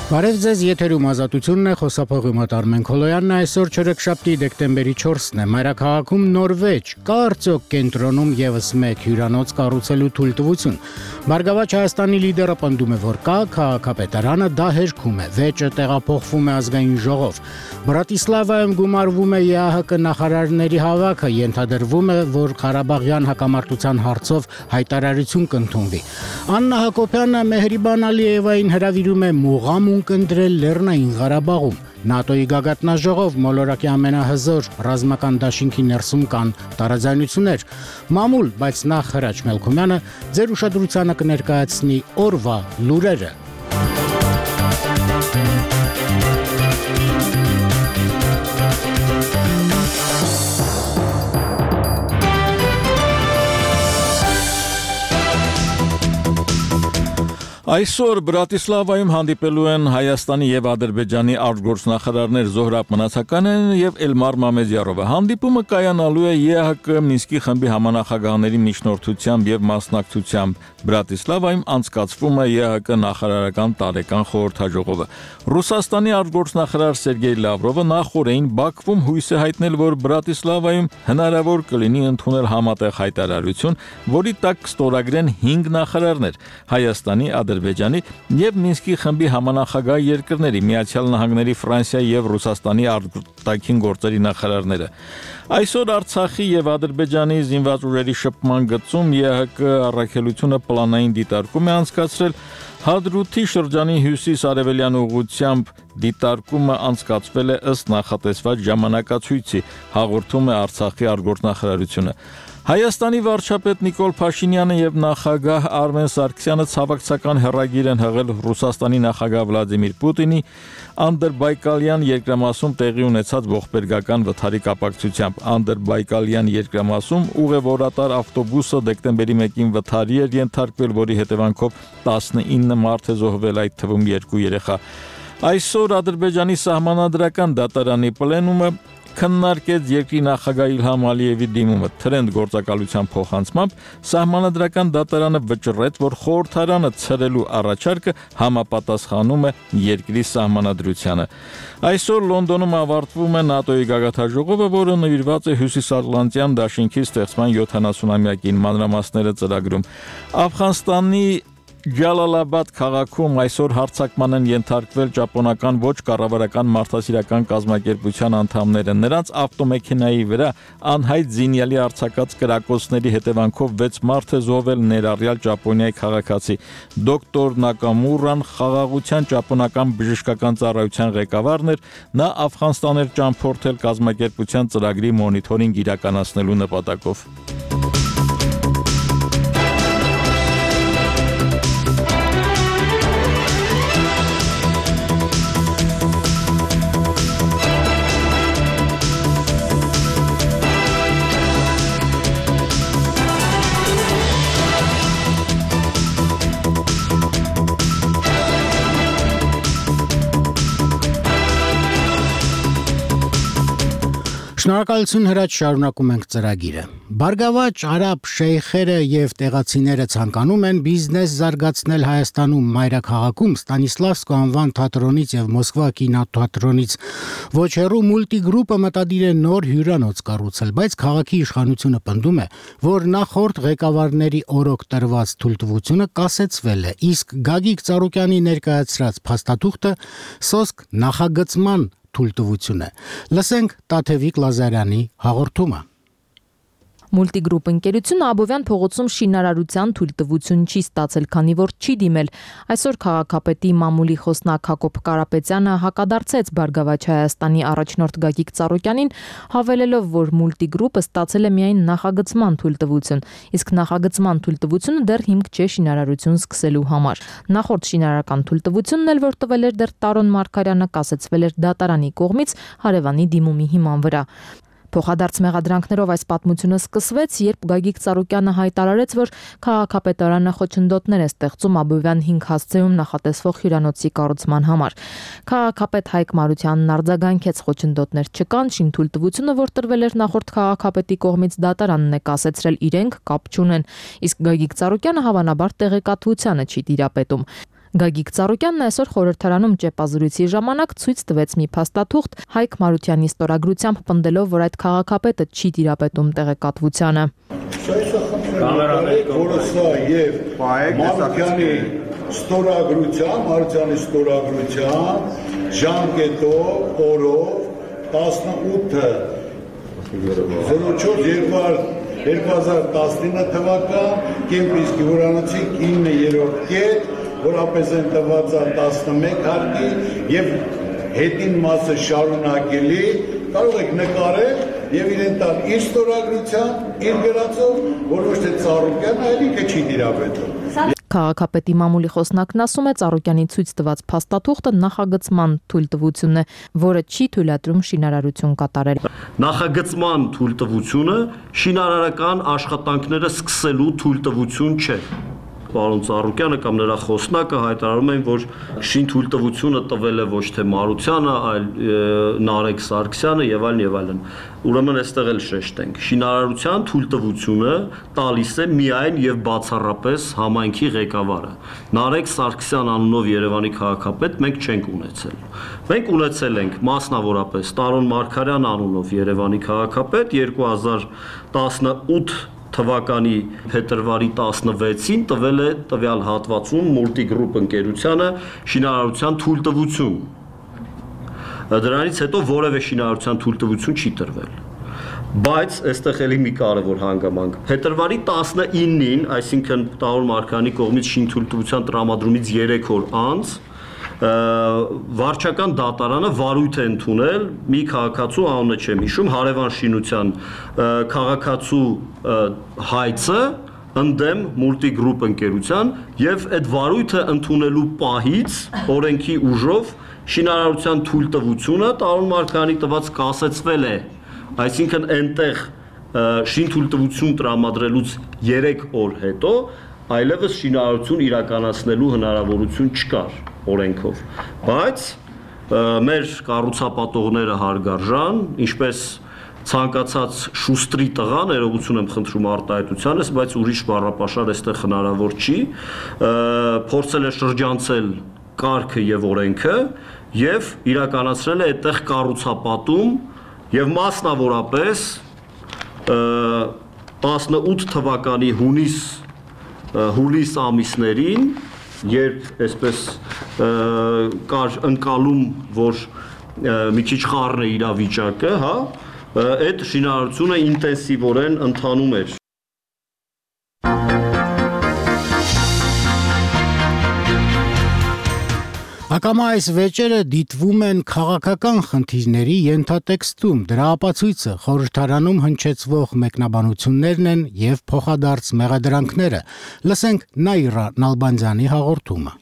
Բարև ձեզ, եթերում ազատությունն է, խոսափողի մոտ Արմեն Քոլոյանն է, այսօր չորեքշաբթի դեկտեմբերի 4-ն է, մայրաքաղաքում Նորվեջ, կա արդյոք կենտրոնում ևս մեկ հյուրանոց կառուցելու թույլտվություն։ Բարգավաճ Հայաստանի լիդերը պնդում է, որ կա, քաղաքապետարանը դա հերքում է, վեճը տեղափոխվում է ազգային ժողով։ Բրատիսլավայում գումարվում է ԵԱՀԿ նախարարների հավաքը, ենթադրվում է, որ Ղարաբաղյան հակամարտության հարցով հայտարարություն կընդունվի։ Աննա Հակոբյանը Մեհրիբան Ալիևային հրավիրում է մուղամ ընտրել Լեռնային Ղարաբաղում։ ՆԱՏՕ-ի գագաթնաժողով մոլորակի ամենահզոր ռազմական դաշինքի ներսում կան տարաձայնություններ։ Մամուլ, բայց նախ Հրաչ Մելքումյանը ձեր ուշադրությանը կներկայացնի օրվա լուրերը։ Այսօր Բրատիսլավայում հանդիպելու են Հայաստանի եւ Ադրբեջանի արտգործնախարարներ Զոհրաբ Մնացականեն եւ Էլմար Մամեդյարովը։ Հանդիպումը կայանալու է ԵԱՀԿ Մինսկի խմբի համանախագահների միջնորդությամբ եւ մասնակցությամբ։ Բրատիսլավայում անցկացվում է ԵԱՀԿ նախարարական տարեկան խորհրդաժողովը։ Ռուսաստանի արտգործնախարար Սերգեյ Լավրովը նախորդին Բաքվում հույս է հայտնել, որ Բրատիսլավայում հնարավոր կլինի ընդունել համատեղ հայտարարություն, որի տակ կստորագրեն 5 նախարարներ՝ Հայաստանի, Ադրբեջանի եւ Մինսկի խմբի համանախագահ երկրների Միացյալ Նահանգների, Ֆրանսիայի եւ Ռուսաստանի արտաքին գործերի նախարարները։ Այսօր Արցախի եւ Ադրբեջանի զինված ուժերի շփման գծում ԵԱՀԿ առաքելությունը պլանային դիտարկում է անցկացրել։ Հադրութի շրջանի հյուսիս-արևելյան ուղղությամբ դիտարկումը անցկացվել է ըստ նախատեսված ժամանակացույցի, հաղորդում է Արցախի արտգործնախարարությունը։ Հայաստանի վարչապետ Նիկոլ Փաշինյանը եւ նախագահ Արմեն Սարգսյանը ցավակցական հեռագիր են հղել Ռուսաստանի նախագահ Վլադիմիր Պուտինի Անդրբայկալյան երկրամասում տեղի ունեցած ողբերգական վթարի կապակցությամբ։ Անդրբայկալյան երկրամասում ուղևորատար ավտոբուսը դեկտեմբերի 1-ին վթարի էր ենթարկվել, որի հետևանքով 19 մարդ է զոհվել, այդ թվում 2 երեխա։ Այսօր Ադրբեջանի սահմանադրական դատարանի պլենումը քննարկեց երկրի նախագահ Իլհամ Ալիևի դիմումը թրենդ գործակալության փոխանցմամբ սահմանադրական դատարանը վճռեց, որ խորհրդարանը ցրելու առաջարկը համապատասխանում է երկրի սահմանադրությանը։ Այսօր Լոնդոնում ավարտվում է ՆԱՏՕ-ի գագաթնաժողովը, որը նվիրված է Հյուսիսատլանտյան դաշինքի ստեղծման 70-ամյակին, մանրամասները ծրագրում։ Աֆղանստանի Ջալալաբադ քաղաքում այսօր հարձակման են ենթարկվել ճապոնական ոչ կառավարական մարդասիրական կազմակերպության անդամները։ Նրանց ավտոմեքենայի վրա անհայտ զինյալի արձակած կրակոցների հետևանքով 6 մարդ է զոհվել, ներառյալ Ճապոնիայի քաղաքացի։ Դոկտոր Նակամուրան խաղաղության ճապոնական բժշկական ծառայության ղեկավարն էր, նա Աֆղանստան էր ճամփորդել կազմակերպության ծրագրի մոնիթորինգ իրականացնելու նպատակով։ Շնորհակալություն Հրաչ, շարունակում ենք ծրագիրը։ Բարգավաճ արաբ շեյխերը եւ տեղացիները ցանկանում են բիզնես զարգացնել Հայաստանում մայրաքաղաքում Ստանիսլավսկու անվան թատրոնից եւ Մոսկվա կինոթատրոնից ոչ հեռու մուլտիգրուպը մտադիր է նոր հյուրանոց կառուցել, բայց քաղաքի իշխանությունը պնդում է, որ նախորդ ղեկավարների օրոք տրված թույլտվությունը կասեցվել է, իսկ Գագիկ Ծառուկյանի ներկայացրած փաստաթուղթը սոսկ նախագծման թույլտվություն է։ Լսենք Տաթևիկ Լազարյանի հաղորդումը։ Մուլտիգրուպ ընկերությունը Աբովյան փողոցում շինարարության թույլտվություն չի ստացել, քանի որ չի դիմել։ Այսօր քաղաքապետի մամուլի խոսնակ Հակոբ Կարապետյանը հակադարձեց Բարգավաճ Հայաստանի առաջնորդ Գագիկ Ծառուկյանին, հավելելով, որ մուլտիգրուպը ստացել է միայն նախագծման թույլտվություն, իսկ նախագծման թույլտվությունը դեռ հիմք չէ շինարարություն սկսելու համար։ Նախորդ շինարարական թույլտվությունն էլ, որ տվել էր դեռ Տարոն Մարգարյանը, կասեցվել էր դատարանի կողմից հարևանի դիմումի հիման վրա։ Փոխադարձ մեղադրանքներով այս պատմությունը սկսվեց, երբ Գագիկ Ծառուկյանը հայտարարեց, որ քաղաքապետարանը խոչընդոտներ է ստեղծում Աբովյան 5 հասցեում նախատեսվող հյուրանոցի կառուցման համար։ Քաղաքապետ Հայկ Մարությանն արձագանքեց խոչընդոտներ չկան, շինթույլտվությունը, որ տրվել էր նախորդ քաղաքապետի կողմից, դատարանն է կասեցրել իրենք կապ չունեն, իսկ Գագիկ Ծառուկյանը հավանաբար տեղեկատվությանը չի տիրապետում։ Գագիկ Ծառուկյանն այսօր խորհրդարանում ճեպազրույցի ժամանակ ցույց տվեց մի փաստաթուղթ Հայկ Մարությանի ստորագրությամբ, պնդելով, որ այդ քաղաքապետը չի տիրապետում տեղեկատվությանը։ Ստորագրության ժամկետով օրով 18/04/2019 թվական Կեմպինսկի հյուրանոցի 9-րդ կետ, որապես են տված 11 հարկի եւ հետին մասը շարունակելի, կարող եք նկարել եւ իրեն տալ իր ստորագրության, իր գրածով, որ ոչ թե Ծառուկյանը, այլ ինքը չի տիրապետում։ Քաղաքապետի մամուլի խոսնակն ասում է, Ծառուկյանի ցույց տված փաստաթուղթը նախագծման թույլտվությունն է, որը չի թույլատրում շինարարություն կատարել։ Նախագծման թույլտվությունը շինարարական աշխատանքները սկսելու թույլտվություն չէ։ Պարոն Ծառուկյանը կամ նրա խոսնակը հայտարարում են, որ շին թույլտվությունը տվել է ոչ թե Մարությանը, այլ Նարեկ Սարգսյանը եւ այլն եւ այլն։ Ուրեմն այստեղ էլ շեշտենք, շինարարության թույլտվությունը տալիս է միայն եւ բացառապես համայնքի ղեկավարը։ Նարեկ Սարգսյան անունով Երևանի քաղաքապետ մենք չենք ունեցել։ Մենք ունեցել ենք մասնավորապես Տարոն Մարգարյան անունով Երևանի քաղաքապետ 2018 թվականի փետրվարի 16-ին տվել է տվյալ հատվածում Multigroup ընկերությանը շինարարության թույլտվություն։ Դրանից հետո որևէ շինարարության թույլտվություն չի տրվել։ Բայց այստեղ էլի մի կարևոր հանգամանք։ Փետրվարի 19-ին, այսինքն Տարոն Մարգարյանի կողմից շինթույլտվության տրամադրումից 3 օր անց վարչական դատարանը վարույթ է ընդունել մի քաղաքացու, անունը չեմ հիշում, հարևան շինության քաղաքացու հայցը ընդդեմ Multigroup ընկերության եւ այդ վարույթը ընդունելու պահից օրենքի ուժով շինարարության թույլտվությունը Տարոն Մարգարյանի տված կասեցվել է, այսինքն այնտեղ շինթույլտվություն տրամադրելուց 3 օր հետո այլևս շինարարություն իրականացնելու հնարավորություն չկար օրենքով, բայց մեր կառուցապատողները հարգարժան, ինչպես ցանկացած շուստրի տղա, ներողություն եմ խնդրում արտահայտությանս, բայց ուրիշ բառապաշար այստեղ հնարավոր չի, փորձել է շրջանցել կարգը եւ օրենքը եւ իրականացրել է այդտեղ կառուցապատում եւ մասնավորապես 18 թվականի հուլիս ամիսներին, երբ այսպես կար ընկալում, որ մի քիչ խառն է իրավիճակը, հա, այդ շինարարությունը ինտենսիվորեն ընթանում էր։ Ակամա այս վեճերը դիտվում են քաղաքական խնդիրների ենթատեքստում, դրա ապացույցը խորհրդարանում հնչեցվող մեկնաբանություններն են եւ փոխադարձ մեղադրանքները։ Լսենք Նաիրա Նալբանդյանի հաղորդումը։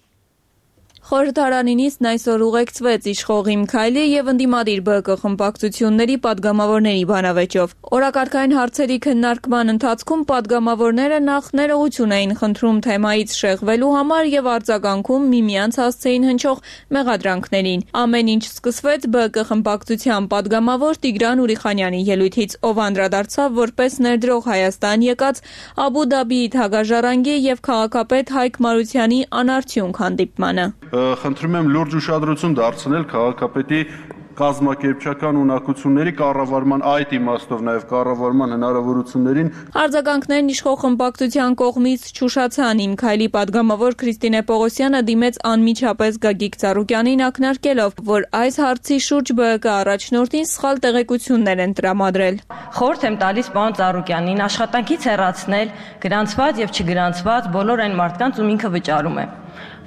Խորհրդարանինից այսօր ուղեկցվեց իշխող Իմ Քայլի եւ ընդդիմադիր ԲԿ խմբակցությունների падգամավորների բանավեճով։ Օրակարգային հարցերի քննարկման ընթացքում падգամավորները նախ ներողություն էին խնդրում թեմայից շեղվելու համար եւ արձագանքում միմյանց հասցեին հնչող մեղադրանքներին։ Ամեն ինչ սկսվեց ԲԿ խմբակցության падգամավոր Տիգրան Ուրիխանյանի ելույթից, ով անդրադարձավ որպես ներդրող Հայաստան եկած Աբու Դաբիի թագաժառանգի եւ քաղաքապետ Հայկ Մարությանի անարդյունք հանդիպմանը։ Խնդրում եմ լուրջ ուշադրություն դարձնել քաղաքապետի կազմակերպչական ունակությունների կառավարման այդ իմաստով նաև կառավարման հնարավորություններին։ Արձագանքներն իշխող խմբակցության կողմից չուշացան։ Իմ Քայլի падգամավոր Քրիստինե Պողոսյանը դիմեց անմիջապես Գագիկ Ծառուկյանին ակնարկելով, որ այս հարցի շուրջ ԲԿ առաջնորդին սխալ տեղեկություններ են տրամադրել։ Խորհուրդ եմ տալիս պարոն Ծառուկյանին աշխատանքից հեռացնել գրանցված եւ չգրանցված բոլոր այն մարդկանց, ում ինքը վճարում է,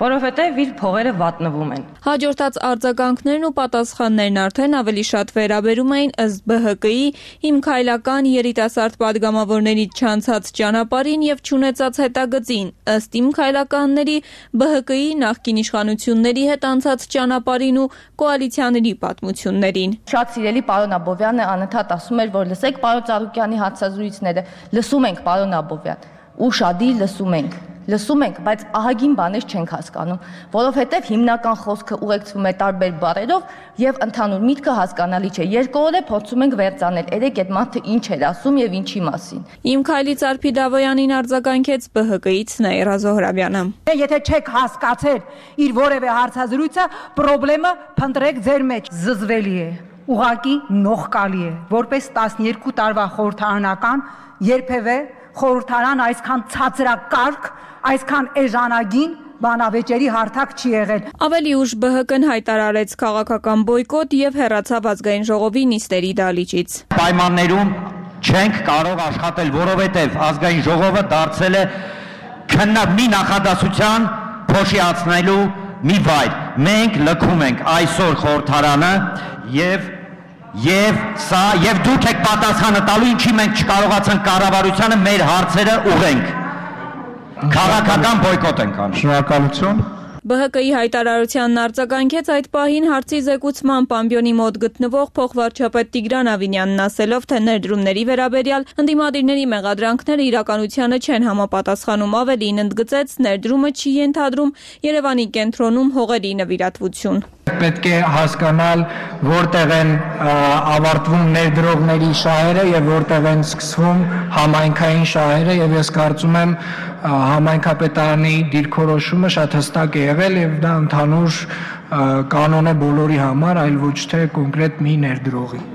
որովհետև իր փողերը վատնվում են։ Հաջորդած արձագանքներն ու պատասխաններն արդեն ավելի շատ վերաբերում էին ըստ ԲՀԿ-ի Իմ Քայլական երիտասարդ падգամավորների չանցած ճանապարհին եւ չունեցած հետագծին, ըստ Իմ Քայլականների ԲՀԿ-ի նախկին իշխանությունների հետ անցած ճանապարհին ու կոալիցիաների պատմություններին։ Շատ սիրելի պարոն Աբովյանը անընդհատ ասում էր, որ լսեք պարոն Ծառուկյանի հարցազրույցները, լսում ենք պարոն Աբովյան։ ու շադի լսում ենք, բայց ահագին բաներ չենք հասկանում, որովհետև հիմնական խոսքը ուղեկցվում է տարբեր բառերով եւ ընդհանուր միտքը հասկանալի չէ։ Երկու օր է փորձում ենք վերցանել, երեք այդ մարդը ինչ էր ասում եւ ինչի մասին։ Իմ քայլից Արփի Դավոյանին արձագանքեց ԲՀԿ-ից Նաիրա Զոհրաբյանը։ Եթե չեք հասկացել իր որևէ հարցազրույցը, խնդրեմը փնտրեք ձեր մեջ, զզվելի է, ուղղակի նողկալի է, որպես 12 տարվա խորհրդարանական երբևէ խորհրդարան այսքան ցածրակարգ, այսքան էժանագին բանավեճերի հարթակ չի եղել։ Ավելի ուշ ԲՀԿ-ն հայտարարեց քաղաքական բոյկոտ եւ հեռացավ ազգային ժողովի նիստերի դահլիճից։ Պայմաններում չենք կարող աշխատել, որովհետեւ ազգային ժողովը դարձել է քննադատի նախադասության փոշիացնելու մի վայր։ Մենք լքում ենք այսօր խորհրդարանը եւ դուք եք պատասխանը տալու, ինչի մենք չկարողացանք կառավարությանը մեր հարցերը ուղենք։ Քաղաքական բոյկոտ ենք անում։ Շնորհակալություն։ ԲՀԿ-ի հայտարարությանն արձագանքեց այդ պահին հարցի զեկուցման Պամբյոնի մոտ գտնվող փոխվարչապետ Տիգրան Ավինյանն, ասելով, թե ներդրումների վերաբերյալ ընդդիմադիրների մեղադրանքները իրականությանը չեն համապատասխանում, ավելին ընդգծեց, ներդրումը չի ենթադրում Երևանի կենտրոնում հողերի նվիրատվություն։ Պետք է հասկանալ, որտեղ են ավարտվում ներդրողների շահերը եւ որտեղ են սկսվում համայնքային շահերը, եւ ես կարծում եմ համայնքապետարանի դիրքորոշումը շատ հստակ է եղել եւ դա ընդհանուր կանոն է բոլորի համար, այլ ոչ թե կոնկրետ մի ներդրողի։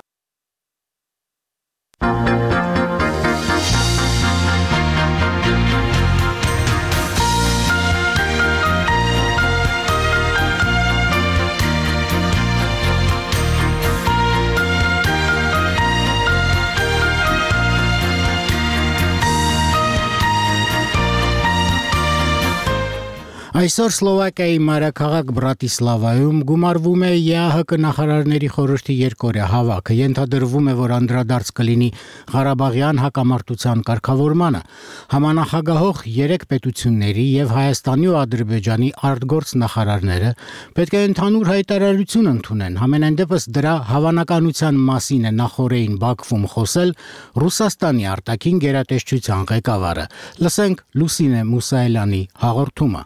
Այսօր Սլովակիայի մայրաքաղաք Բրատիսլավայում գումարվում է ԵԱՀԿ նախարարների խորհրդի երկօրյա հավաքը։ Ենթադրվում է, որ անդրադարձ կլինի Ղարաբաղյան հակամարտության կարգավորմանը։ Համանախագահող 3 պետությունների եւ Հայաստանի ու Ադրբեջանի արտգործ նախարարները պետք է ընդհանուր հայտարարություն ընդունեն։ Համենայն դեպս դրա հավանականության մասին է նախորդին Բաքվում խոսել Ռուսաստանի արտաքին գերատեսչության ղեկավարը։ Լսենք Լուսինե Մուսայելյանի հաղորդումը։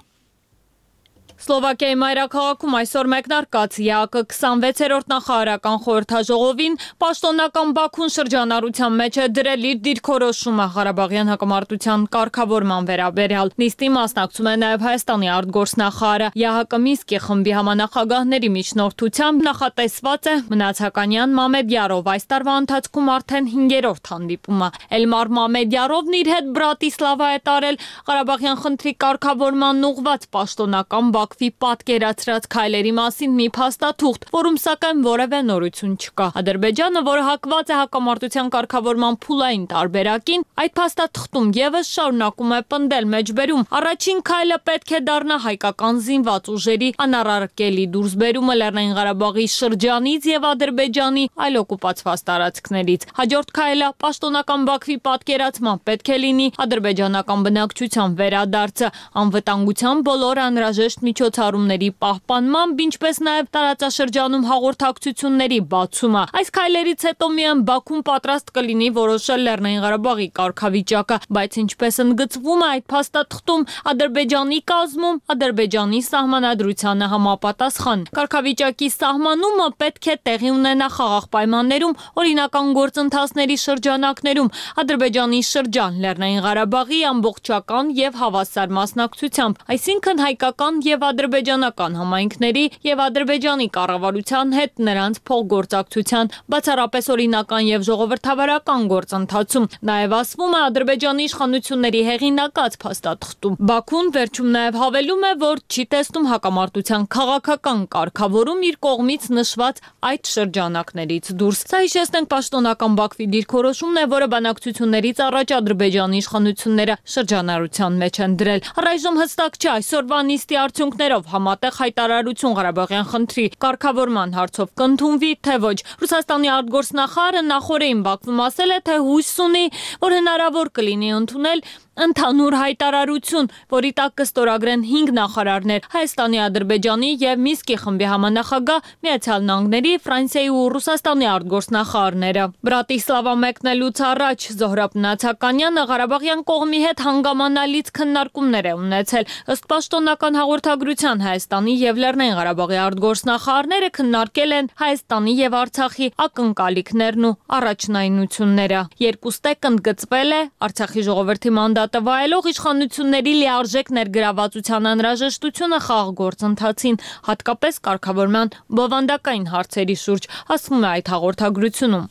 Սլովակիայի մայրաքաղաքում այսօր մեկնարկած ԵԱՀԿ 26-րդ նախարարական խորհրդաժողովին պաշտոնական Բաքուն շրջանառության մեջ է դրել իր դիրքորոշումը Ղարաբաղյան հակամարտության կարգավորման վերաբերյալ։ Նիստի մասնակցում է նաև Հայաստանի արտգործնախարարը։ ԵԱՀԿ Մինսկի խմբի համանախագահների միջնորդությամբ նախատեսված է Մնացականյան Մամեդյարով այս տարվա ընթացքում արդեն 5-րդ հանդիպումը։ Էլմար Մամեդյարովն իր հետ Բրատիսլավա է տարել Ղարաբաղյան խնդրի կարգավորման ուղղված պաշտոնական Բաքվի պատկերացրած քայլերի մասին մի փաստաթուղթ, որում սակայն որևէ նորություն չկա։ Ադրբեջանը, որը հակված է հակամարտության կարգավորման փուլային տարբերակին, այդ փաստաթղթում եւս շարունակում է պնդել մեջբերում։ Առաջին քայլը պետք է դառնա հայկական զինված ուժերի անառարկելի դուրսբերումը Լեռնային Ղարաբաղի շրջանից եւ Ադրբեջանի այլ օկուպացված տարածքներից։ Հաջորդ քայլը պաշտոնական Բաքվի պատկերացման պետք է լինի ադրբեջանական բնակչության վերադարձը, անվտանգության բոլոր անհրաժեշտ միջոցառումների պահպանմամբ, ինչպես նաև տարածաշրջանում հաղորդակցությունների բացումը։ Այս քայլերից հետո միայն Բաքուն պատրաստ կլինի որոշել Լեռնային Ղարաբաղի կարգավիճակը, բայց ինչպես ընդգծվում է այդ փաստաթղթում, Ադրբեջանի կազմում Ադրբեջանի սահմանադրությանը համապատասխան։ Կարգավիճակի սահմանումը պետք է տեղի ունենա խաղաղ պայմաններում, օրինական գործընթացների շրջանակներում, Ադրբեջանի շրջան Լեռնային Ղարաբաղի ամբողջական եւ հավասար մասնակցությամբ, այսինքն հայկական եւ ադրբեջանական համայնքների եւ Ադրբեջանի կառավարության հետ նրանց փոխգործակցության բացառապես օրինական եւ ժողովրդավարական գործընթացում։ Նաեւ ասվում է Ադրբեջանի իշխանությունների հեղինակած փաստաթղթում։ Բաքուն վերջում նաեւ հավելում է, որ չի տեսնում հակամարտության քաղաքական կարգավորում իր կողմից նշված այդ շրջանակներից դուրս։ Սա հիշեցնենք պաշտոնական Բաքվի դիրքորոշումն է, որը բանակցություններից առաջ Ադրբեջանի իշխանությունները շրջանառության մեջ են դրել։ Առայժմ հստակ չէ այսօրվա նիստի արդյունքներով համատեղ հայտարարություն Ղարաբաղյան խնդրի կարգավորման հարցով կընդունվի, թե ոչ։ Ռուսաստանի արտգործնախարարը նախորդին Բաքվում ասել է, թե հույս ունի, որ հնարավոր կլինի ընդունել ընդհանուր հայտարարություն, որի տակ կստորագրեն 5 նախարարներ՝ Հայաստանի, Ադրբեջանի եւ Մինսկի խմբի համանախագահ, Միացյալ Նահանգների, Ֆրանսիայի ու Ռուսաստանի արտգործնախարարները։ Բրատիսլավա մեկնելուց առաջ Զոհրաբ Նացականյանը Ղարաբաղյան կողմի հետ հանգամանալից քննարկումներ է ունեցել։ Ըստ պաշտոնական հաղորդագրության Հայաստանի եւ Լեռնային Ղարաբաղի արտգործնախարարները քննարկել են Հայաստանի եւ Արցախի ակնկալիքներն ու առաջնայնությունները։ Երկուստեք ընդգծվել է Արցախի ժողովրդի մանդատը վայելող իշխանությունների լիարժեք ներգրավվածության անհրաժեշտությունը խաղ գործընթացին, հատկապես կարգավորման բովանդակային հարցերի շուրջ, ասվում է այդ հաղորդագրությունում։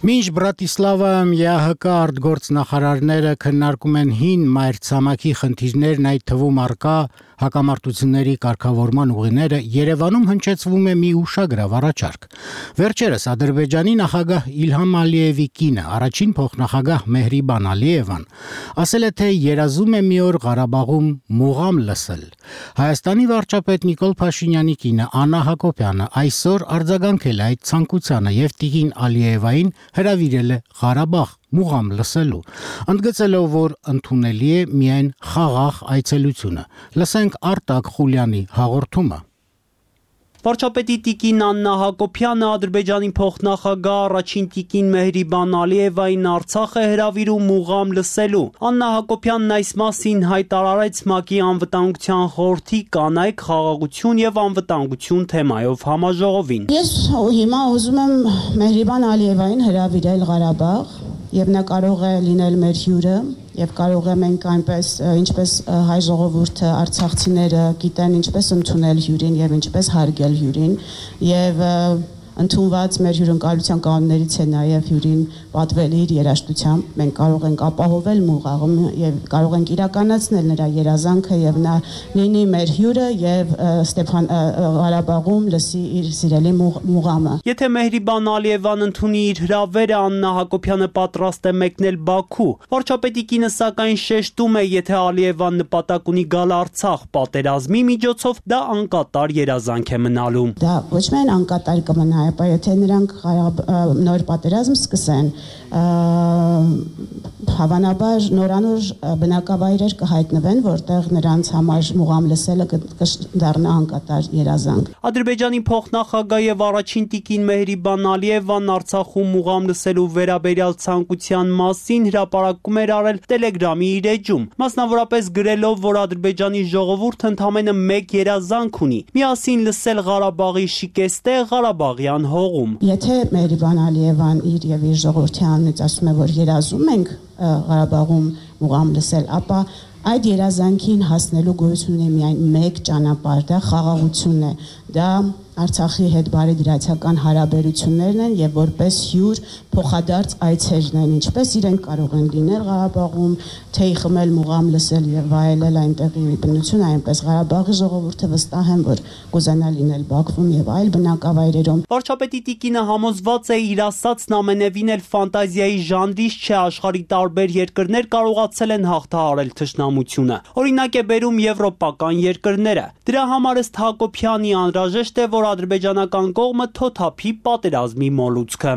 Մինչ Բրատիսլավայում ԵԱՀԿ արտգործնախարարները քննարկում են հին մայրցամաքի խնդիրներն, այդ թվում առկա հակամարտությունների կարգավորման ուղիները, Երևանում հնչեցվում է մի ուշագրավ առաջարկ։ Վերջերս Ադրբեջանի նախագահ Իլհամ Ալիևի կինը, առաջին փոխնախագահ Մեհրիբան Ալիևան, ասել է, թե երազում է մի օր Ղարաբաղում մուղամ լսել։ Հայաստանի վարչապետ Նիկոլ Փաշինյանի կինը Աննա Հակոբյանը այսօր արձագանքել է այդ ցանկությանը եւ տիկին Ալիևային հրավիրել է Ղարաբաղ մուղամ լսելու, ընդգծելով, որ ընդունելի է միայն խաղաղ այցելությունը։ Լսենք Արտակ Խուլյանի հաղորդումը։ Վարչապետի տիկին Աննա Հակոբյանը Ադրբեջանի փոխնախագահ առաջին տիկին Մեհրիբան Ալիևային Արցախ է հրավիրում մուղամ լսելու։ Աննա Հակոբյանն այս մասին հայտարարեց ՄԱԿ-ի անվտանգության խորհրդի կանայք, խաղաղություն եւ անվտանգություն թեմայով համաժողովին։ Ես հիմա ուզում եմ Մեհրիբան Ալիևային հրավիրել Ղարաբաղ եւ նա կարող է լինել մեր հյուրը եւ կարող է մենք այնպես ինչպես հայ ժողովուրդը արցախցիները գիտեն ինչպես ընդունել հյուրին եւ ինչպես հարգել հյուրին եւ ընդունված մեր հյուրընկալության կանոններից է նաև հյուրին պատվել իր երաժշտությամբ։ Մենք կարող ենք ապահովել մուղաղը եւ կարող ենք իրականացնել նրա երազանքը եւ նա լինի մեր հյուրը եւ Ստեփան Ղարաբաղում լսի իր սիրելի մուղամը։ Եթե Մեհրիբան Ալիևան ընդունի իր հրավերը, Աննա Հակոբյանը պատրաստ է մեկնել Բաքու։ Վարչապետի կինը սակայն շեշտում է, եթե Ալիևան նպատակ ունի գալ Արցախ պատերազմի միջոցով, դա անկատար երազանք է մնալու։ Դա ոչ միայն անկատար կմնա, այլ եթե նրանք նոր պատերազմ սկսեն, հավանաբար նորանոր բնակավայրեր կհայտնվեն, որտեղ նրանց համար մուղամ լսելը կդառնա անկատար երազանք։ Ադրբեջանի փոխնախագահ եւ առաջին տիկին Մեհրիբան Ալիևան Արցախում մուղամ լսելու վերաբերյալ ցանկության մասին հրապարակում էր արել Telegram-ի իր էջում, մասնավորապես գրելով, որ Ադրբեջանի ժողովուրդը ընդամենը մեկ երազանք ունի՝ միասին լսել Ղարաբաղի շիկեստե Ղարաբաղյան հողում։ Եթե Մեհրիբան Ալիևան իր եւ իր ժողովրդի անունից ասում է, որ երազում ենք Ղարաբաղում մուղամ լսել, ապա այդ երազանքին հասնելու գոյություն ունի միայն մեկ ճանապարհ, դա խաղաղությունն է, դա Արցախի հետ բարեդրացական հարաբերություններն են եւ որպես հյուր փոխադարձ այցերն են, ինչպես իրենք կարող են լինել Ղարաբաղում, թեյ խմել, մուղամ լսել եւ վայելել այնտեղի բնությունը, այնպես Ղարաբաղի ժողովուրդը վստահ են, որ կուզենա լինել Բաքվում եւ այլ բնակավայրերում։ Վարչապետի տիկինը համոզված է, իր ասածն ամենևին էլ ֆանտազիայի ժանրից չէ, աշխարհի տարբեր երկրներ կարողացել են հաղթահարել թշնամությունը։ Օրինակ է բերում եվրոպական երկրները։ Դրա համար ըստ Հակոբյանի անհրաժեշտ է, որ ադրբեջանական կողմը թոթափի պատերազմի մոլուցքը։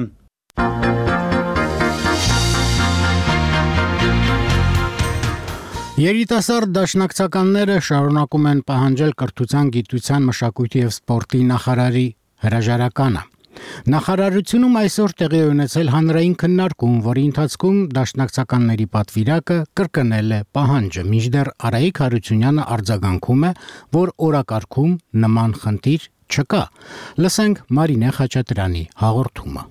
Երիտասարդ դաշնակցականները շարունակում են պահանջել կրթության, գիտության, մշակույթի եւ սպորտի նախարարի հրաժարականը։ Նախարարությունում այսօր տեղի ունեցել հանրային քննարկում, որի ընթացքում դաշնակցականների պատվիրակը կրկնել է պահանջը, մինչդեռ Արայիկ Հարությունյանը արձագանքում է, որ օրակարգում նման խնդիր չկա։ Լսենք Մարինե Խաչատրյանի հաղորդումը։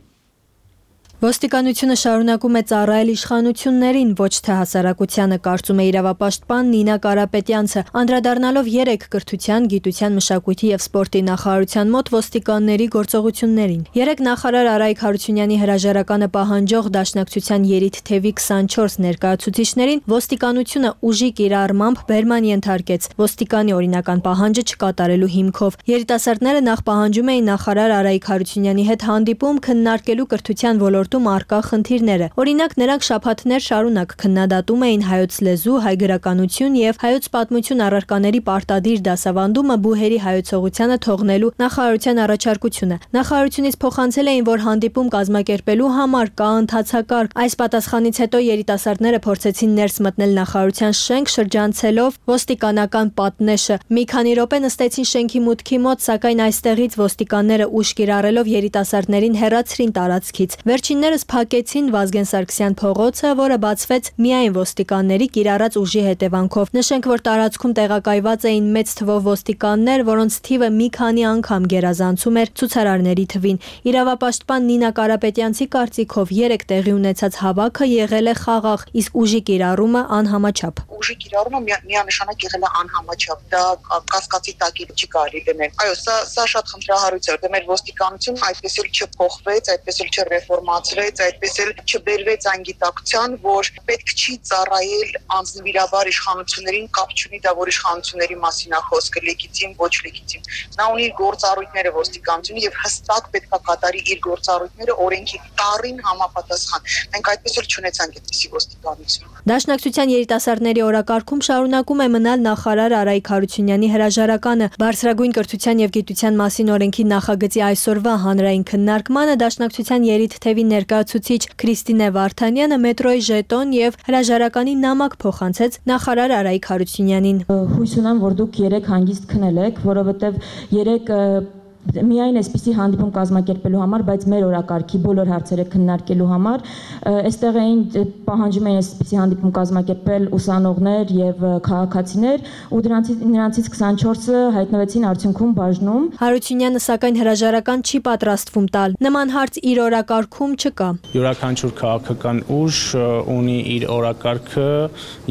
Ոստիկանությունը շարունակում է ծառայել իշխանություններին, ոչ թե հասարակությանը, կարծում է իրավապաշտպան Նինա Կարապետյանցը, անդրադառնալով 3 կրթության, գիտության, մշակույթի եւ սպորտի նախարարության մոտ ոստիկանների գործողություններին։ 3 նախարար Արայիկ Հարությունյանի հրաժարականը պահանջող դաշնակցության երիտ թևի 24 ներկայացուցիչներին ոստիկանությունը ուժի կիրառմամբ բերման ենթարկեց ոստիկանի օրինական պահանջը չկատարելու հիմքով։ Երիտասարդները նախ պահանջում էին նախարար Արայիկ Հարությունյանի հետ հանդիպում քննարկելու կրթության ոլորտի ոլորտում առկա խնդիրները։ Օրինակ, նրանք շաբաթներ շարունակ քննադատում էին հայոց լեզու, հայ գրականություն եւ հայոց պատմություն առարկաների պարտադիր դասավանդումը բուհերի հայեցողությանը թողնելու նախարարության առաջարկությունը։ Նախարարությունից փոխանցել էին, որ հանդիպում կազմակերպելու համար կա ընթացակարգ։ Այս պատասխանից հետո երիտասարդները փորձեցին ներս մտնել նախարարության շենք, շրջանցելով ոստիկանական պատնեշը։ Մի քանի րոպե նստեցին շենքի մուտքի մոտ, սակայն այստեղից ոստիկանները ուժ կիրառելով երիտասարդներին հեռացրին տարածքից։ Վերջիններս փակեցին Վազգեն Սարգսյան փողոցը, որը բացվեց միայն ոստիկանների կիրառած ուժի հետևանքով։ Նշենք, որ տարածքում տեղակայված էին մեծ թվով ոստիկաններ, որոնց թիվը մի քանի անգամ գերազանցում էր ցուցարարների թվին։ Իրավապաշտպան Նինա Կարապետյանցի կարծիքով 3 տեղի ունեցած հավաքը եղել է խաղաղ, իսկ ուժի կիրառումը անհամաչափ։ Ուժի կիրառումը միանշանակ եղել է անհամաչափ, դա կասկածի տակ չի կարելի դնել։ Այո, սա շատ խնդրահարույց է, մեր ոստիկանությունը այդպես էլ չփոխվեց, այդպես էլ չրեֆորմացրեց, այդպես էլ չբերվեց այն գիտակցության, որ պետք չի ծառայել անձնվիրաբար իշխանություններին, կապ չունի դա որ իշխանությունների մասին է խոսքը, լեգիտիմ, ոչ լեգիտիմ։ Նա ունի գործառույթները ոստիկանությունը եւ հստակ պետք է կատարի իր գործառույթները օրենքի տառին համապատասխան։ Մենք այդպես էլ չունեցանք այդպիսի ոստիկանություն։ Դաշնակցության երիտասարդների օրակարգում շարունակում է մնալ նախարար Արայիկ Հարությունյանի հրաժարականը։ Բարձրագույն կրթության եւ գիտության մասին օրենքի նախագծի այսօրվա հանրային քննարկմանը դաշնակցության երիտ թևի ներկայացուցիչ Քրիստինե Վարդանյանը մետրոյի ժետոն եւ հրաժարականի նամակ փոխանցեց նախարար Արայիկ Հարությունյանին։ Հույս ունեմ, որ դուք 3 հանգիստ քնելեք, որովհետեւ 3 միայն այսպիսի հանդիպում կազմակերպելու համար, բայց մեր օրակարգի բոլոր հարցերը քննարկելու համար, այստեղ էին պահանջում էին այսպիսի հանդիպում կազմակերպել ուսանողներ եւ քաղաքացիներ, ու նրանցից 24-ը հայտնվեցին արդյունքում բաժնում։ Հարությունյանը սակայն հրաժարական չի պատրաստվում տալ։ Նման հարց իր օրակարգում չկա։ Յուրաքանչյուր քաղաքական ուժ ունի իր օրակարգը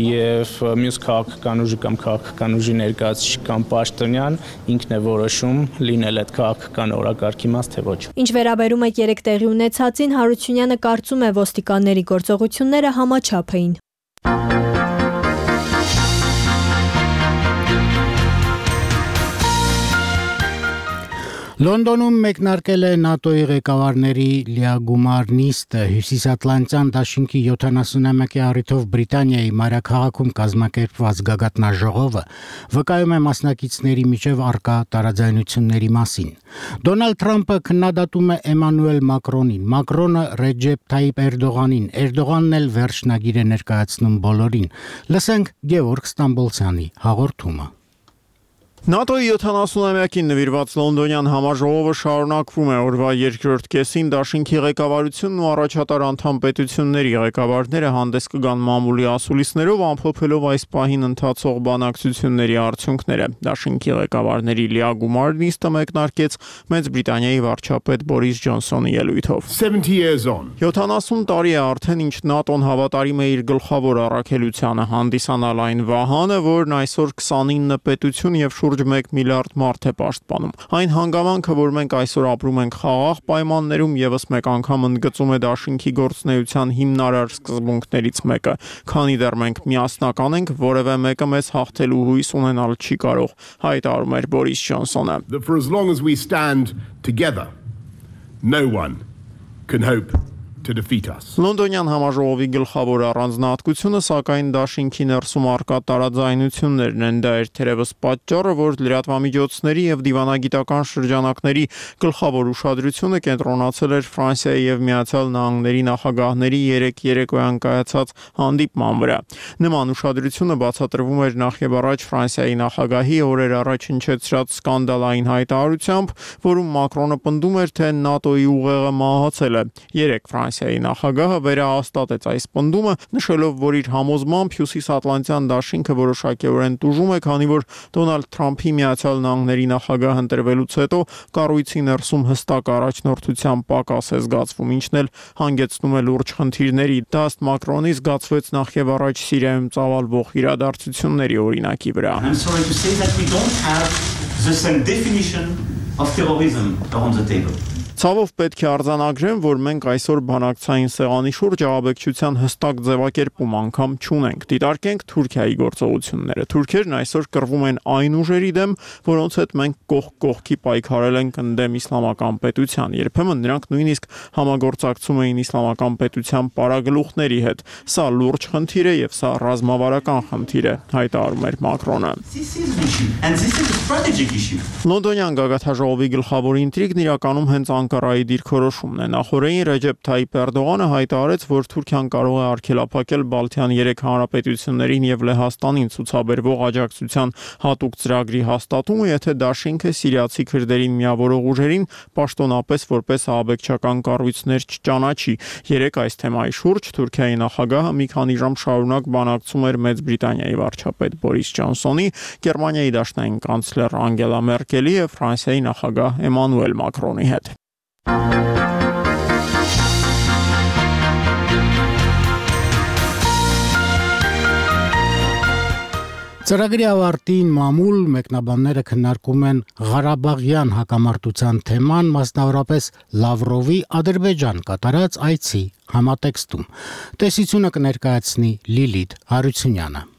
եւ մյուս քաղաքական ուժի կամ քաղաքական ուժի ներկայացուցիչ կամ պաշտոնյան ինքն է որոշում լինել այդ քաղաքական օրակարգի մաս թե ոչ։ Ինչ վերաբերում է 3 տեղի ունեցածին, Հարությունյանը կարծում է ոստիկանների գործողությունները համաչափ էին։ Լոնդոնում մեկնարկել է ՆԱՏՕ-ի ղեկավարների լիագումար նիստը Հյուսիսատլանտյան դաշինքի 71-ի առիթով Բրիտանիայի մայրաքաղաքում կազմակերպված գագաթնաժողովը վկայում է մասնակիցների միջև առկա տարաձայնությունների մասին։ Դոնալդ Թրամփը քննադատում է Էմանուել Մակրոնին, Մակրոնը Ռեջեփ Թայիփ Էրդողանին, Էրդողանն էլ վերջնագիր է ներկայացնում բոլորին։ Լսենք Գևորգ Ստամբոլցյանի հաղորդումը։ ՆԱՏՕ-ի 70-ամյակին նվիրված լոնդոնյան համաժողովը շարունակվում է օրվա երկրորդ կեսին դաշինքի ղեկավարությունն ու առաջատար անդամ պետությունների ղեկավարները հանդես կգան մամուլի ասուլիսներով ամփոփելով այս պահին ընթացող բանակցությունների արդյունքները։ Դաշինքի ղեկավարների լիագումար նիստը մեկնարկեց Մեծ Բրիտանիայի վարչապետ Բորիս Ջոնսոնի ելույթով։ 70 տարի է արդեն ինչ ՆԱՏՕ-ն հավատարիմ է իր գլխավոր առաքելությանը հանդիսանալ այն վահանը, որն այսօր 29 պետություն եւ 1 միլիարդ մարդ է պաշտպանում։ Այն հանգամանքը, որ մենք այսօր ապրում ենք խաղաղ պայմաններում, եւս մեկ անգամ ընդգծում է դաշինքի գործունեության հիմնարար սկզբունքներից մեկը։ Քանի դեռ մենք միասնական ենք, որևէ մեկը մեզ հաղթելու հույս ունենալ չի կարող, հայտարարում էր Բորիս Ջոնսոնը։ For as long as we stand together, no one can hope to defeat us. Լոնդոնյան համաժողովի գլխավոր առանձնահատկությունը սակայն դաշինքի ներսում առկա տարաձայնություններն են, դա էր թերևս պատճառը, որ լրատվամիջոցների եւ դիվանագիտական շրջանակների գլխավոր ուշադրությունը կենտրոնացել էր Ֆրանսիայի եւ Միացյալ Նահանգների նախագահների 3 երեկոյան կայացած հանդիպման վրա։ Նման ուշադրությունը բացատրվում էր նախ եւ առաջ Ֆրանսիայի նախագահի օրեր առաջ հնչեցրած սկանդալային հայտարարությամբ, որում Մակրոնը պնդում էր, թե ՆԱՏՕ-ի ուղեղը մահացել է։ 3 Ֆրանսիայի նախագահը վերահաստատեց այս պնդումը, նշելով, որ իր համոզմամբ Հյուսիսատլանտյան դաշինքը որոշակիորեն տուժում է, քանի որ Դոնալդ Թրամփի Միացյալ Նահանգների նախագահ ընտրվելուց հետո կառույցի ներսում հստակ առաջնորդության պակաս է զգացվում, ինչն էլ հանգեցնում է լուրջ խնդիրների։ Դա ըստ Մակրոնի զգացվեց նախ եւ առաջ Սիրիայում ծավալվող իրադարձությունների օրինակի վրա։ I'm sorry to say that we don't have the same definition of terrorism on the table. Ցավով պետք է արձանագրեմ, որ մենք այսօր բանակցային սեղանի շուրջ ահաբեկչության հստակ ձևակերպում անգամ չունենք։ Դիտարկենք Թուրքիայի գործողությունները։ Թուրքերն այսօր կռվում են այն ուժերի դեմ, որոնց հետ մենք կողք կողքի պայքարել ենք ընդդեմ իսլամական պետության։ Երբեմն նրանք նույնիսկ համագործակցում էին իսլամական պետության պարագլուխների հետ։ Սա լուրջ խնդիր է եւ սա ռազմավարական խնդիր է, հայտարարում էր Մակրոնը։ Լոնդոնյան գագաթաժողովի գլխավոր ինտրիգն իրականում հենց Անկարայի դիրքորոշումն է։ Նախորդին Ռեջեփ Թայիփ Էրդողանը հայտարարեց, որ Թուրքիան կարող է արգելափակել Բալթյան 3 հանրապետություններին եւ Լեհաստանին ցուցաբերվող աջակցության հատուկ ծրագրի հաստատումը, եթե դաշինքը սիրիացի քրդերին միավորող ուժերին պաշտոնապես որպես ահաբեկչական կառույցներ չճանաչի։ Երեք այս թեմայի շուրջ Թուրքիայի նախագահը մի քանի ժամ շարունակ բանակցում էր Մեծ Բրիտանիայի վարչապետ Բորիս Ջոնսոնի, Գերմանիայի դաշնային կանցլեր Անգելա Մերկելի եւ Ֆրանսիայի նախագահ Էմանուել Մակրոնի հետ։ Ծրագրի ավարտին մամուլ մեկնաբանները քննարկում են Ղարաբաղյան հակամարտության թեման, մասնավորապես Լավրովի Ադրբեջան կատարած այցի համատեքստում։ Տեսությունը կներկայացնի Լիլիթ Հարությունյանը։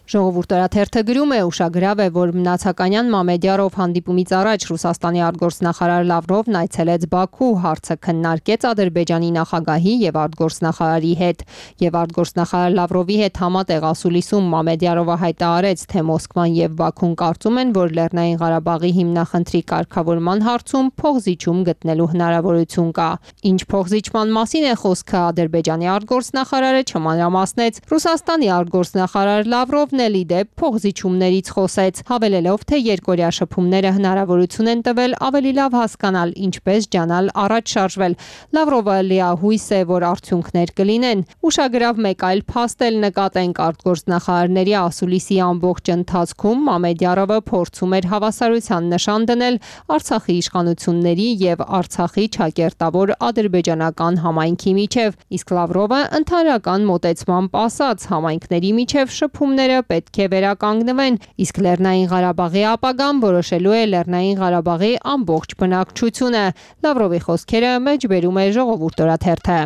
Ժողովուրդ օրաթերթը գրում է, ուշագրավ է, որ Մնացականյան Մամեդյարով հանդիպումից առաջ Ռուսաստանի արտգործնախարար Լավրովն այցելեց Բաքու, հարցը քննարկեց Ադրբեջանի նախագահի եւ արտգործնախարարի հետ, եւ արտգործնախարար Լավրովի հետ համատեղ ասուլիսում Մամեդյարովը հայտարարեց, թե Մոսկվան եւ Բաքուն կարծում են, որ Լեռնային Ղարաբաղի հիմնախնդրի կարգավորման հարցում փոխզիջում գտնելու հնարավորություն կա։ Ինչ փոխզիջման մասին է խոսքը, Ադրբեջանի արտգործնախարարը չմանրամասնեց։ Ռուսաստանի արտգործնախարար Լավրով դեպ փոխզիջումներից խոսեց, հավելելով, թե երկօրյա շփումները հնարավորություն են տվել ավելի լավ հասկանալ, ինչպես ջանալ առաջ շարժվել։ Լավրովը լիահույս է, որ արդյունքներ կլինեն։ Ուշագրավ մեկ այլ փաստ էլ նկատենք արտգործնախարարների ասուլիսի ամբողջ ընթացքում Մամեդյարովը փորձում էր հավասարության նշան դնել Արցախի իշխանությունների եւ Արցախի ճակերտավոր ադրբեջանական համայնքի միջև, իսկ Լավրովը ընդհանրական մոտեցմամբ ասաց, համայնքների միջև շփումները պետք է վերականգնվեն, իսկ Լեռնային Ղարաբաղի ապագան որոշելու է Լեռնային Ղարաբաղի ամբողջ բնակչությունը։ Լավրովի խոսքերը մեջբերում է Ժողովուրդ օրաթերթը։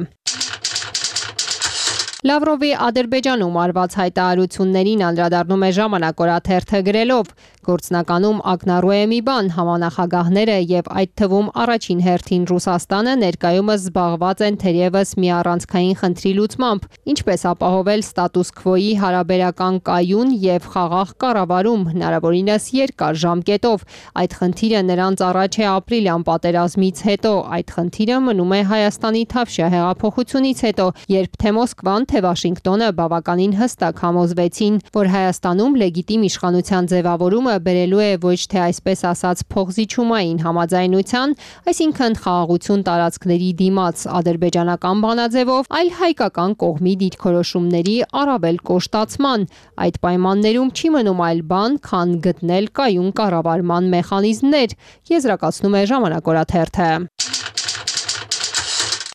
Լավրովի Ադրբեջանում արված հայտարարություններին անդրադառնում է Ժամանակ օրաթերթը գրելով. Գործնականում ակնառու է մի բան, համանախագահները եւ այդ թվում առաջին հերթին Ռուսաստանը ներկայումս զբաղված են թերևս մի առանցքային խնդրի լուծմամբ, ինչպես ապահովել ստատուս քվոյի հարաբերական կայուն եւ խաղաղ կառավարում, հնարավորինս երկար ժամկետով։ Այդ խնդիրը նրանց առաջ է ապրիլյան պատերազմից հետո, այդ խնդիրը մնում է Հայաստանի Թավշյա հեղափոխությունից հետո, երբ թե Մոսկվան, թե Վաշինգտոնը բավականին հստակ համոզվեցին, որ Հայաստանում լեգիտիմ իշխանության ձևավորումը բերելու է ոչ թե այսպես ասած փոխզիջումային համաձայնության, այսինքն խաղաղություն տարածքների դիմաց ադրբեջանական բանաձևով, այլ հայկական կողմի դիրքորոշումների առավել կոշտացման։ Այդ պայմաններում չի մնում այլ բան, քան գտնել կայուն կառավարման մեխանիզմներ, եզրակացնում է Ժամանակ օրաթերթը։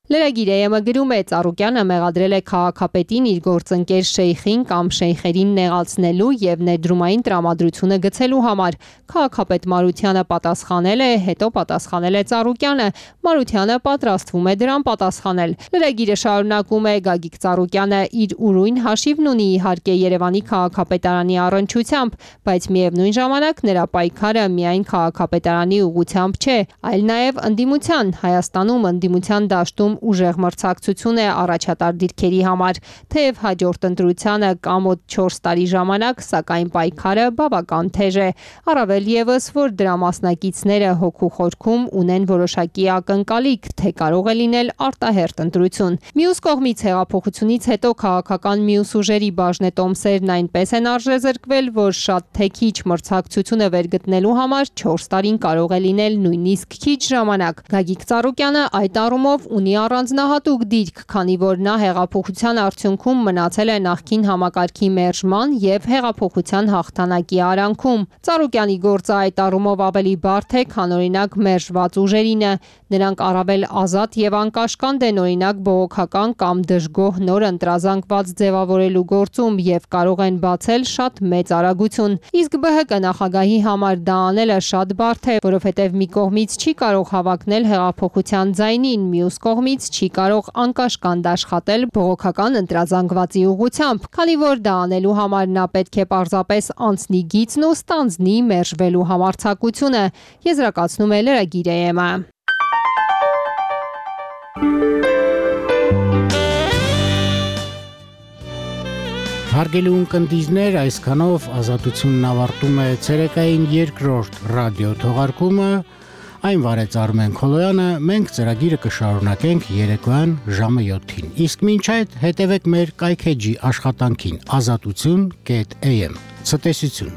Լրագիր գրում է, Ծառուկյանը մեղադրել է քաղաքապետին իր գործընկեր շեյխին կամ շեյխերին նեղացնելու եւ ներդրումային տրամադրությունը գցելու համար։ Քաղաքապետ Մարությանը պատասխանել է, հետո պատասխանել է Ծառուկյանը, Մարությանը պատրաստվում է դրան պատասխանել։ Լրագիրը շարունակում է, Գագիկ Ծառուկյանը իր ուրույն հաշիվն ունի իհարկե Երևանի քաղաքապետարանի առնչությամբ, բայց միևնույն ժամանակ նրա պայքարը միայն քաղաքապետարանի ուղղությամբ չէ, այլ նաեւ ընդդիմության, Հայաստանում ընդդիմության դաշտում ուժեղ մրցակցություն է առաջատար դիրքերի համար, թեև հաջորդ ընտրությանը կա մոտ 4 տարի ժամանակ, սակայն պայքարը բավական թեժ է, առավել եւս, որ դրա մասնակիցները հոգու խորքում ունեն որոշակի ակնկալիք, թե կարող է լինել արտահերթ ընտրություն։ Մյուս կողմից հեղափոխությունից հետո քաղաքական մյուս ուժերի բաժնետոմսերն այնպես են արժեզրկվել, որ շատ թե քիչ մրցակցությունը վերգտնելու համար 4 տարին կարող է լինել նույնիսկ քիչ ժամանակ։ Գագիկ Ծառուկյանը այդ առումով ունի առանձնահատուկ դիրք, քանի որ նա հեղափոխության արդյունքում մնացել է նախկին համակարգի մերժման եւ հեղափոխության հաղթանակի արանքում։ Ծառուկյանի գործը այդ առումով ավելի բարդ է, քան օրինակ մերժված ուժերինը։ Նրանք առավել ազատ եւ անկաշկանդ են օրինակ բողոքական կամ դժգոհ նոր ընտրազանգված ձևավորելու գործում եւ կարող են բացել շատ մեծ արագություն։ Իսկ ԲՀԿ նախագահի համար դա անելը շատ բարդ է, որովհետեւ մի կողմից չի կարող հավակնել հեղափոխության ձայնին, մյուս կողմից չի կարող անկաշկանդ աշխատել բողոքական ընտրազանգվածի ուղղությամբ, քանի որ դա անելու համար նա պետք է պարզապես անցնի գիծն ու ստանձնի մերժվելու համարձակությունը, եզրակացնում է Լրագիր AM-ը։ Հարգելի ունկնդիրներ, այսքանով Ազատությունն ավարտում է ցերեկային երկրորդ ռադիո թողարկումը։ Այն վարեց Արմեն Քոլոյանը, մենք ծրագիրը կշարունակենք երեկոյան ժամը 7-ին։ Իսկ մինչ այդ հետևեք մեր կայքեջի աշխատանքին azatutsun.am։ Ցտեսություն։